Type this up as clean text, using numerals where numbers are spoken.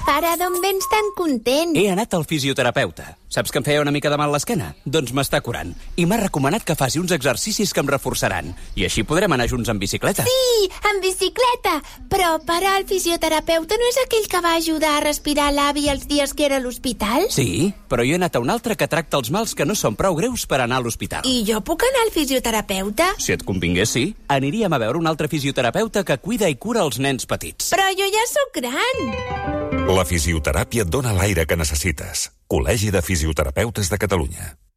Pare, d'on vens tan content? He anat al fisioterapeuta. Saps que em feia una mica de mal l'esquena? Doncs m'està curant. I m'ha recomanat que faci uns exercicis que em reforçaran. I així podrem anar junts en bicicleta. Sí, en bicicleta. Però, pare, el fisioterapeuta no és aquell que va ajudar a respirar l'avi els dies que era a l'hospital? Sí, però jo he anat a un altre que tracta els mals que no són prou greus per anar a l'hospital. I jo puc anar al fisioterapeuta? Si et convingués, sí. Aniríem a veure un altre fisioterapeuta que cuida i cura els nens petits. Però jo ja sóc gran. La fisioteràpia et dona l'aire que necessites. Col·legi de Fisioterapeutes de Catalunya.